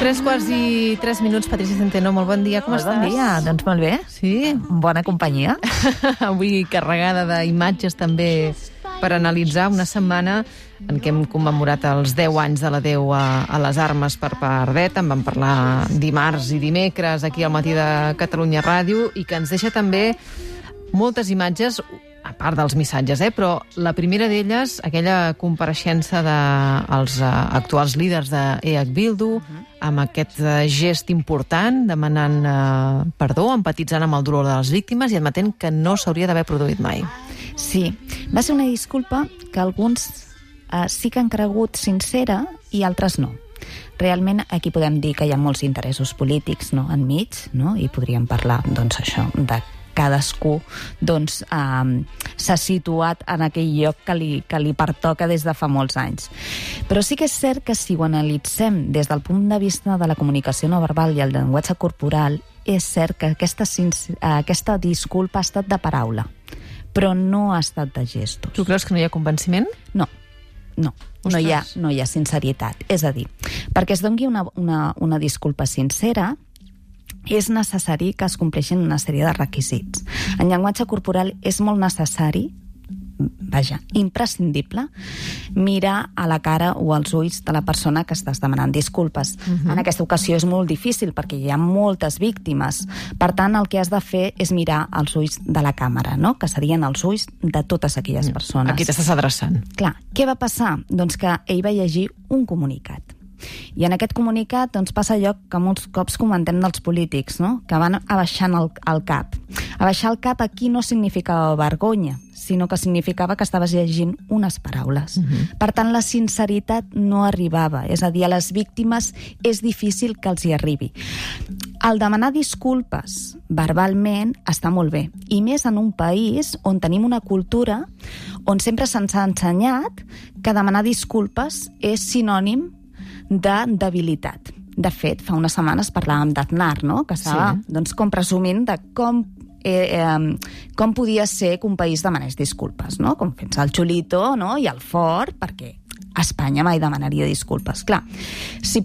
3:03, Patricia Centeno, molt bon dia, com estàs? Bon dia, doncs molt bé. Sí? Bona companyia. Avui carregada d'imatges també per analitzar una setmana en què hem commemorat els 10 anys de l'adeu a les armes per part d'ETA. En vam parlar dimarts i dimecres aquí al Matí de Catalunya Ràdio i que ens deixa també moltes imatges, a part dels missatges, però la primera d'elles, aquella compareixença dels actuals líders d'EH Bildu, amb aquest gest important, demanant perdó, empatitzant amb el dolor de les víctimes i admetent que no s'hauria d'haver produït mai. Sí, va ser una disculpa que alguns sí que han cregut sincera i altres no. Realment aquí podem dir que hi ha molts interessos polítics enmig, i podríem parlar això de cadascú s'ha situat en aquell lloc que li pertoca des de fa molts anys. Però sí que és cert que si ho analitzem des del punt de vista de la comunicació no verbal i el llenguatge corporal, és cert que aquesta disculpa ha estat de paraula, però no ha estat de gestos. Tu creus que no hi ha convenciment? No hi ha sinceritat. És a dir, perquè es doni una disculpa sincera, és necessari que es compleixin una sèrie de requisits. En llenguatge corporal és molt necessari, imprescindible, mirar a la cara o als ulls de la persona que estàs demanant disculpes. En aquesta ocasió és molt difícil perquè hi ha moltes víctimes. Per tant, el que has de fer és mirar als ulls de la càmera, que serien els ulls de totes aquelles persones. A qui t'estàs adreçant? Clar, què va passar? Doncs que ell va llegir un comunicat. I en aquest comunicat passa allò que molts cops comentem dels polítics, que van abaixant el cap. Abaixar el cap aquí no significava vergonya, sinó que significava que estaves llegint unes paraules. Per tant, la sinceritat no arribava. És a dir, a les víctimes és difícil que els hi arribi. El demanar disculpes verbalment està molt bé, i més en un país on tenim una cultura on sempre se'ns ha ensenyat que demanar disculpes és sinònim de debilitat. De fet, fa unes setmanes parlàvem d'Aznar, que estava com presumint de com podia ser que un país demanés disculpes, com fent-se el xulito i el fort, perquè Espanya mai demanaria disculpes. Clar, si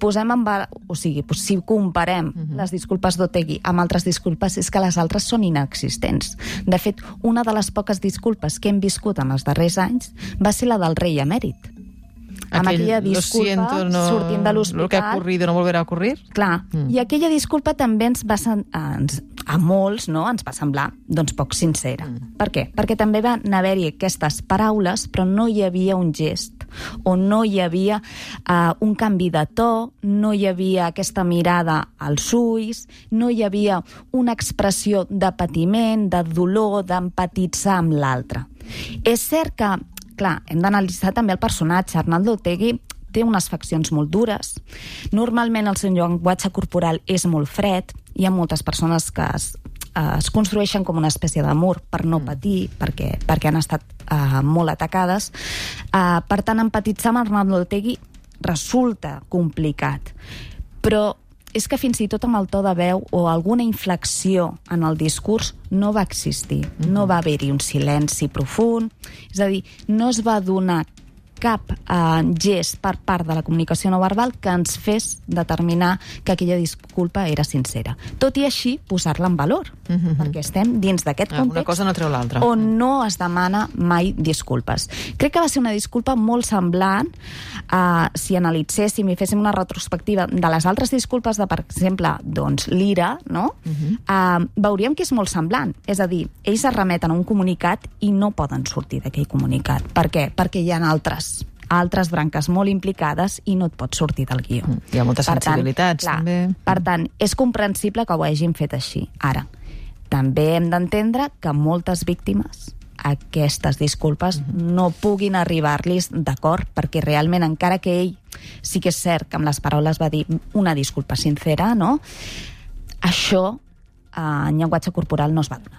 comparem les disculpes d'Otegi amb altres disculpes, és que les altres són inexistents. De fet, una de les poques disculpes que hem viscut en els darrers anys va ser la del rei emèrit. Amb aquella disculpa sortint de l'hospital. Lo que ha ocurrido no volverà a ocurrir. Clar, i aquella disculpa també a molts ens va semblar poc sincera. Per què? Perquè també van haver-hi aquestes paraules, però no hi havia un gest, o no hi havia un canvi de to, no hi havia aquesta mirada als ulls, no hi havia una expressió de patiment, de dolor, d'empatitzar amb l'altre. És cert que clar, hem d'analitzar també el personatge. Arnaldo Otegi té unes faccions molt dures. Normalment el seu llenguatge corporal és molt fred. Hi ha moltes persones que es construeixen com una espècie de mur per no patir, perquè han estat molt atacades. Per tant, empatitzar amb Arnaldo Otegi resulta complicat. Però és que fins i tot amb el to de veu o alguna inflexió en el discurs no va existir. No va haver-hi un silenci profund. És a dir, no es va donar cap gest per part de la comunicació no verbal que ens fes determinar que aquella disculpa era sincera. Tot i així, posar-la en valor, perquè estem dins d'aquest context una cosa no treu l'altra, on no es demana mai disculpes. Crec que va ser una disculpa molt semblant si analitzéssim i féssim una retrospectiva de les altres disculpes de, per exemple, l'Ira, veuríem que és molt semblant. És a dir, ells es remeten a un comunicat i no poden sortir d'aquell comunicat. Per què? Perquè hi ha altres branques molt implicades i no et pots sortir del guió. Hi ha moltes sensibilitats, també. Per tant, és comprensible que ho hagin fet així. Ara, també hem d'entendre que moltes víctimes aquestes disculpes no puguin arribar-los d'acord, perquè realment, encara que ell sí que és cert que amb les paraules va dir una disculpa sincera, això en llenguatge corporal no es va donar.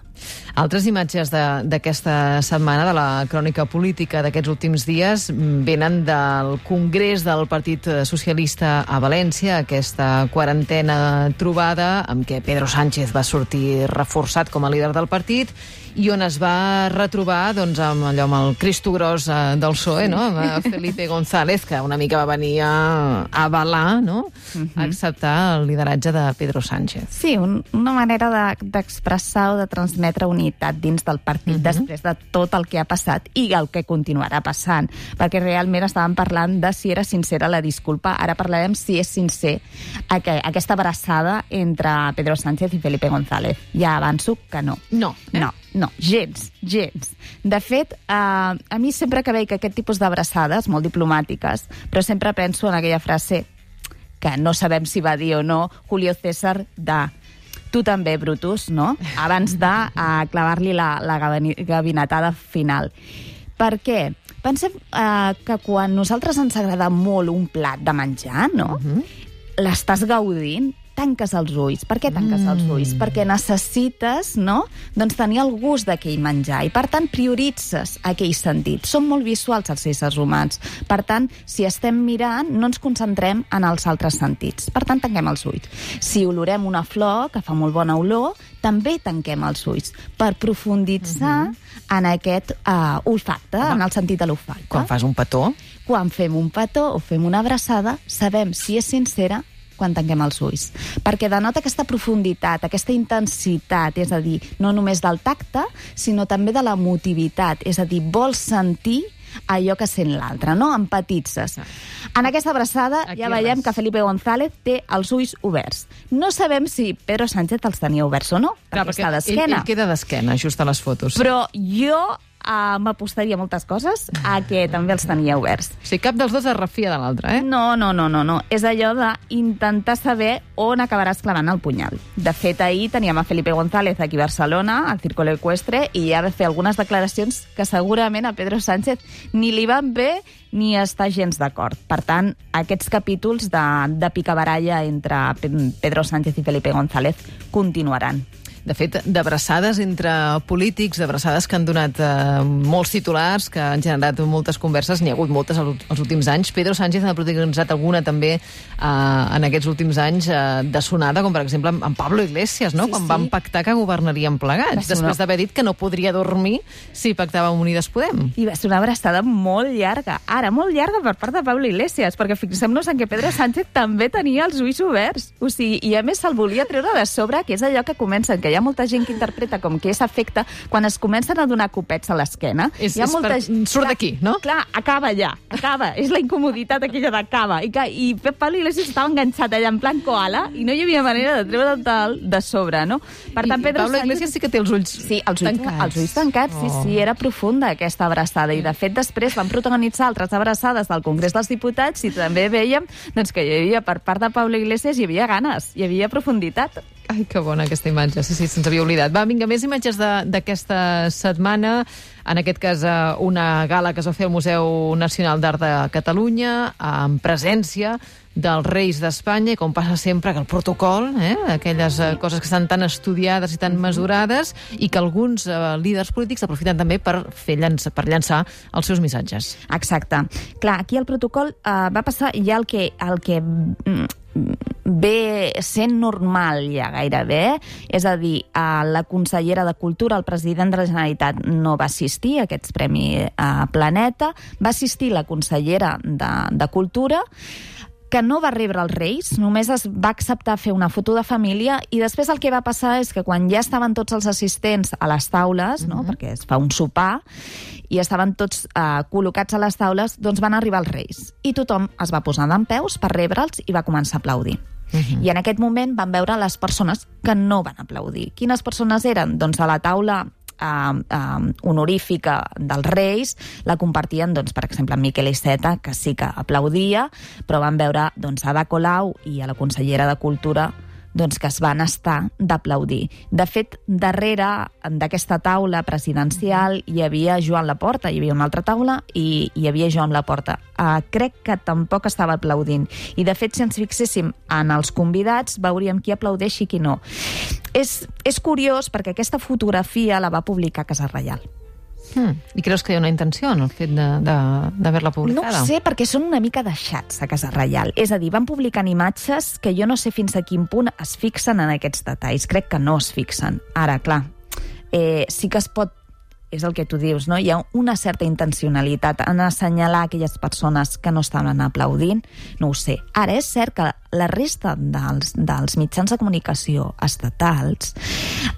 Altres imatges d'aquesta setmana, de la crònica política d'aquests últims dies, venen del Congrés del Partit Socialista a València, aquesta quarantena trobada amb què Pedro Sánchez va sortir reforçat com a líder del partit i on es va retrobar amb el Cristo Gros del PSOE, no? Amb Felipe González, que una mica va venir a avalar, no? A acceptar el lideratge de Pedro Sánchez. Sí, una manera d'expressar o de transmetre unitat dins del partit després de tot el que ha passat i el que continuarà passant, perquè realment estàvem parlant de si era sincera la disculpa, ara parlarem si és sincer aquesta abraçada entre Pedro Sánchez i Felipe González. Ja avanço que no. No, gens. De fet, a mi sempre que veig aquest tipus d'abraçades, molt diplomàtiques, però sempre penso en aquella frase que no sabem si va dir o no Julio César tu també, Brutus, no? Abans de clavar-li la gabinetada final. Per què? Pensem que quan nosaltres ens agrada molt un plat de menjar, no? L'estàs gaudint, tanques els ulls. Per què tanques els ulls? Perquè necessites, no?, tenir el gust d'aquell menjar i, per tant, prioritzes aquell sentit. Som molt visuals els éssers humans. Per tant, si estem mirant, no ens concentrem en els altres sentits. Per tant, tanquem els ulls. Si olorem una flor, que fa molt bona olor, també tanquem els ulls per profunditzar en aquest olfacte, en el sentit de l'olfacte. Quan fas un petó? Quan fem un petó o fem una abraçada, sabem si és sincera quan tanquem els ulls. Perquè denota aquesta profunditat, aquesta intensitat, és a dir, no només del tacte, sinó també de l'emotivitat, és a dir, vols sentir allò que sent l'altre, no? Empatitzes. En aquesta abraçada ja veiem que Felipe González té els ulls oberts. No sabem si Pedro Sánchez els tenia oberts o no, perquè està d'esquena. Ell queda d'esquena, just a les fotos. Però jo m'apostaria moltes coses a que també els tenia oberts. O sigui, cap dels dos es refia de l'altre, eh? No. És allò d'intentar saber on acabaràs clavant el punyal. De fet, ahir teníem a Felipe González aquí a Barcelona, al Círculo Ecuestre, i ja va fer algunes declaracions que segurament a Pedro Sánchez ni li van bé ni està gens d'acord. Per tant, aquests capítols de picabaralla entre Pedro Sánchez i Felipe González continuaran. De fet, d'abraçades entre polítics, d'abraçades que han donat molts titulars, que han generat moltes converses, n'hi ha hagut moltes els últims anys. Pedro Sánchez n'ha protagonitzat alguna també en aquests últims anys de sonada, com per exemple amb Pablo Iglesias, no? Quan van pactar que governarien plegats, després d'haver dit que no podria dormir si pactava amb Unides Podem. I va ser una abraçada molt llarga. Ara, molt llarga per part de Pablo Iglesias, perquè fixem-nos en que Pedro Sánchez també tenia els ulls oberts. O sigui, i a més se'l volia treure de sobre, que és allò que comencen, que hi ha molta gent que interpreta com que és afecte quan es comencen a donar copets a l'esquena. Surt d'aquí, no? Clar, acaba ja, acaba. És la incomoditat aquella d'acaba. I Pablo Iglesias estava enganxat allà en plan koala i no hi havia manera de treure'l de sobre, no? Per tant, Pedro Pablo Iglesias sí que té els ulls tancats. Els ulls tancats, sí, era profunda aquesta abraçada. I de fet després van protagonitzar altres abraçades del Congrés dels Diputats i també veiem que hi havia, per part de Pablo Iglesias, hi havia ganes, hi havia profunditat. Ai, que bona aquesta imatge, sí, se'ns havia oblidat. Va, vinga, més imatges d'aquesta setmana. En aquest cas, una gala que es va fer al Museu Nacional d'Art de Catalunya, en presència dels reis d'Espanya, i com passa sempre, que el protocol, aquelles coses que estan tan estudiades i tan mesurades, i que alguns líders polítics aprofiten també per llançar els seus missatges. Exacte. Clar, aquí el protocol va passar ja el que ve sent normal ja gairebé, és a dir, la consellera de Cultura, el president de la Generalitat, no va assistir a aquests Premi Planeta, va assistir la consellera de Cultura, que no va rebre els Reis, només es va acceptar fer una foto de família, i després el que va passar és que quan ja estaven tots els assistents a les taules, no? Perquè es fa un sopar, i estaven tots col·locats a les taules, doncs van arribar els Reis. I tothom es va posar dempeus per rebre'ls i va començar a aplaudir. I en aquest moment van veure les persones que no van aplaudir. Quines persones eren? Doncs a la taula honorífica dels Reis la compartien, doncs, per exemple, en Miquel Iceta, que sí que aplaudia, però van veure a Ada Colau i a la consellera de Cultura que es van estar d'aplaudir. De fet, darrere d'aquesta taula presidencial hi havia Joan Laporta, hi havia una altra taula i hi havia Joan Laporta. Crec que tampoc estava aplaudint. I, de fet, si ens fixéssim en els convidats, veuríem qui aplaudeix i qui no. és curiós perquè aquesta fotografia la va publicar Casa Reial. I creus que hi ha una intenció en el fet d'haver-la publicada? No ho sé, perquè són una mica deixats a Casa Reial. És a dir, van publicant imatges que jo no sé fins a quin punt es fixen en aquests detalls. Crec que no es fixen. Ara, clar, sí que es pot, és el que tu dius, no? Hi ha una certa intencionalitat en assenyalar aquelles persones que no estaven aplaudint, no ho sé. Ara, és cert que la resta dels mitjans de comunicació estatals,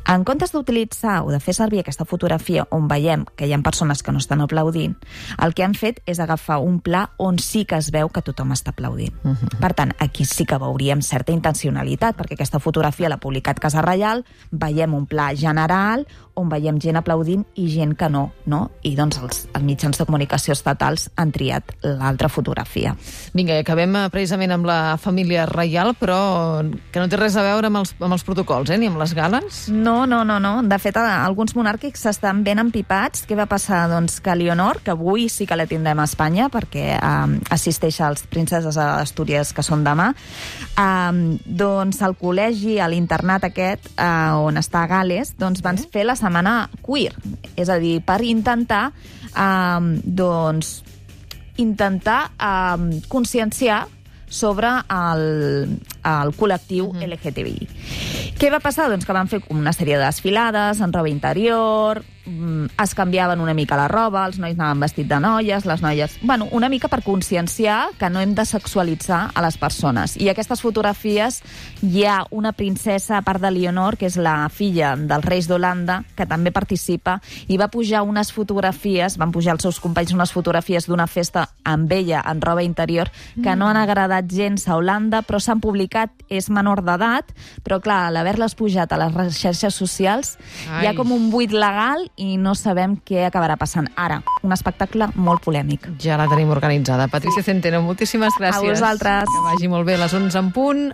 en comptes d'utilitzar o de fer servir aquesta fotografia on veiem que hi ha persones que no estan aplaudint, el que han fet és agafar un pla on sí que es veu que tothom està aplaudint. Per tant, aquí sí que veuríem certa intencionalitat, perquè aquesta fotografia l'ha publicat Casa Reial, veiem un pla general on veiem gent aplaudint i gent que no? I doncs els mitjans de comunicació estatals han triat l'altra fotografia. Vinga, i acabem precisament amb la família reial, però que no té res a veure amb els protocols, ni amb les gales? No. De fet, alguns monàrquics estan ben empipats. Què va passar? Doncs que Leonor, que avui sí que la tindrem a Espanya, perquè assisteix als Princeses d'Astúries, que són demà, doncs al col·legi, a l'internat aquest, on està a Gales, doncs van fer la setmana queer. És a dir, per intentar conscienciar sobre el col·lectiu LGTBI. Què va passar? Doncs que van fer una sèrie de desfilades en roba interior, es canviaven una mica la roba, els nois anaven vestit de noies, les noies... Bueno, una mica per conscienciar que no hem de sexualitzar a les persones. I aquestes fotografies hi ha una princesa, a part de Leonor, que és la filla dels reis d'Holanda, que també participa, i va pujar unes fotografies, van pujar els seus companys unes fotografies d'una festa amb ella en roba interior, que no han agradat gens a Holanda, però s'han publicat, és menor d'edat, però clar, a l'haver-les pujat a les xarxes socials, hi ha com un buit legal i no sabem què acabarà passant. Ara, un espectacle molt polèmic. Ja la tenim organitzada. Patricia Centeno, moltíssimes gràcies. A vosaltres. Que vagi molt bé a les 11 en punt.